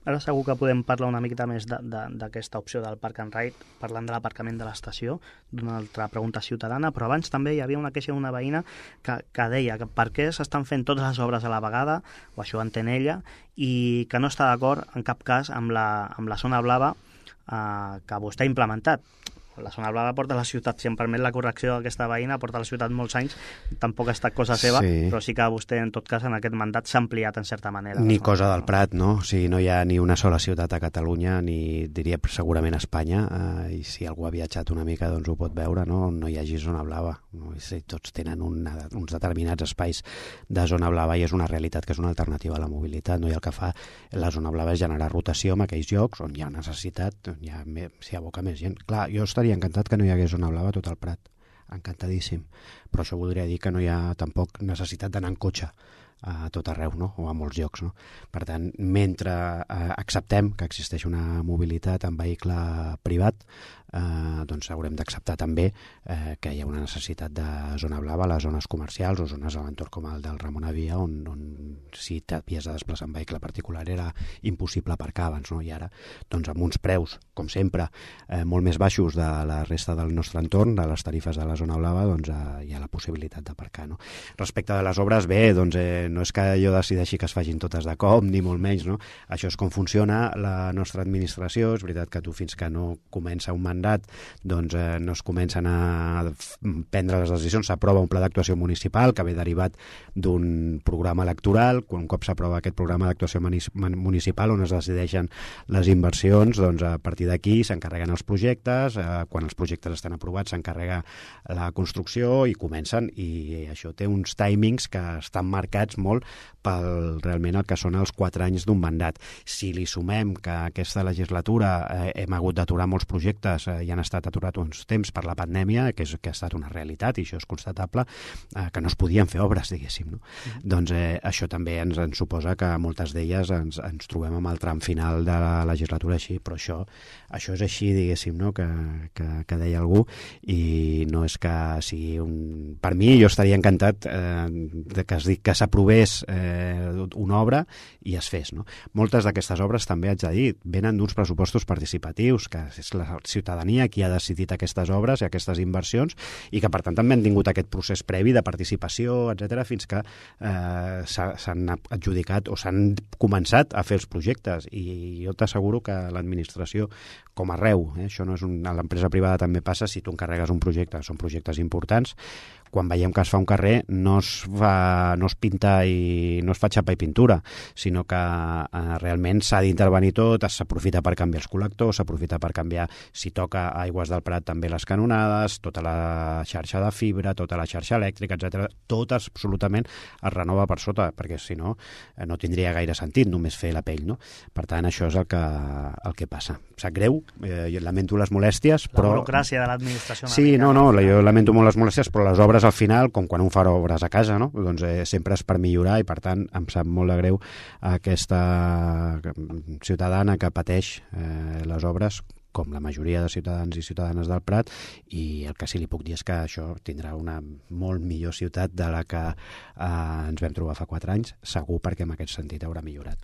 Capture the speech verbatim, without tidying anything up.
ara segur que podem parlar una miqueta més d'aquesta opció del Park and Ride, parlant de l'aparcament de l'estació, d'una altra pregunta ciutadana, però abans també hi havia una queixa d'una veïna que, que deia que per què s'estan fent totes les obres a la vegada, o això entén ella, i que no està d'acord en cap cas amb la, amb la zona blava eh, que vostè ha implementat. La zona blava porta a la ciutat, si em permet la correcció d'aquesta veïna, porta a la ciutat molts anys, tampoc ha estat cosa seva, sí. Però sí que vostè, en tot cas, en aquest mandat s'ha ampliat en certa manera. Ni cosa del Prat, no? O sigui, no hi ha ni una sola ciutat a Catalunya, ni diria segurament a Espanya, eh, i si algú ha viatjat una mica doncs ho pot veure, no? No hi hagi zona blava. No? Si tots tenen una, uns determinats espais de zona blava i és una realitat que és una alternativa a la mobilitat, no? I el que fa la zona blava és generar rotació en aquells llocs on hi ha necessitat, on hi ha, s'hi aboca més gent. Clar, jo estaria encantat que no hi hagués zona blava a tot el Prat, encantadíssim, però això voldria dir que no hi ha tampoc necessitat d'anar en cotxe a tot arreu, no? O a molts llocs, no? Per tant, mentre eh, acceptem que existeix una mobilitat en vehicle privat, eh, doncs haurem d'acceptar també eh, que hi ha una necessitat de zona blava a les zones comercials o zones a l'entorn com el del Ramon Avia, on, on si t'havies de desplaçar en vehicle particular era impossible aparcar abans, no? I ara, doncs amb uns preus, com sempre, eh, molt més baixos de la resta del nostre entorn, de les tarifes de la zona blava, doncs eh, hi ha la possibilitat d'aparcar, no? Respecte de les obres, bé, doncs eh, no és que jo decideixi que es facin totes de cop, ni molt menys, no? Això és com funciona la nostra administració. És veritat que tu fins que no comença un mandat doncs eh, no es comencen a prendre les decisions, s'aprova un pla d'actuació municipal que ve derivat d'un programa electoral. Quan un cop s'aprova aquest programa d'actuació municipal on es decideixen les inversions, doncs a partir d'aquí s'encarreguen els projectes, eh, quan els projectes estan aprovats s'encarrega la construcció i comencen, i això té uns timings que estan marcats molt pel realment el que són els quatre anys d'un mandat. Si li sumem que aquesta legislatura eh, hem hagut d'aturar molts projectes eh, i han estat aturats uns temps per la pandèmia, que, és, que ha estat una realitat i això és constatable, eh, que no es podien fer obres, diguéssim, no? Mm-hmm. Doncs eh, això també ens, ens suposa que moltes d'elles ens, ens trobem amb el tram final de la legislatura així, però això, això és així, diguéssim, no? que, que, que deia algú, i no és que sigui un... Per mi, jo estaria encantat eh, de que, es, que s'aprovés eh, una obra i es fes, no? Moltes d'aquestes obres, també haig de dir, venen d'uns pressupostos participatius, que és la ciutadania qui ha decidit aquestes obres i aquestes inversions, i que per tant també han tingut aquest procés previ de participació, etcètera, fins que eh, s'han adjudicat o s'han començat a fer els projectes. I jo t'asseguro que l'administració, com arreu, eh, això no és un, a l'empresa privada també passa, si tu encarregues un projecte, són projectes importants, quan veiem que es fa un carrer no es, fa, no es pinta i no es fa xapa i pintura, sinó que eh, realment s'ha d'intervenir tot, s'aprofita per canviar els col·lectors, s'aprofita per canviar, si toca a Aigües del Prat, també les canonades, tota la xarxa de fibra, tota la xarxa elèctrica, etcètera. Tot absolutament es renova per sota, perquè si no, eh, no tindria gaire sentit només fer la pell, no? Per tant, això és el que, el que passa. Sap greu, eh, jo lamento les molèsties, però... La burocràcia de l'administració. Sí, no, no, jo lamento molt les molèsties, però les obres al final, com quan un fa obres a casa, no? Doncs eh, sempre és per millorar, i per tant em sap molt de greu aquesta ciutadana que pateix eh, les obres, com la majoria de ciutadans i ciutadanes del Prat, i el que sí li puc dir és que això tindrà una molt millor ciutat de la que eh, ens vam trobar fa quatre anys, segur, perquè en aquest sentit haurà millorat.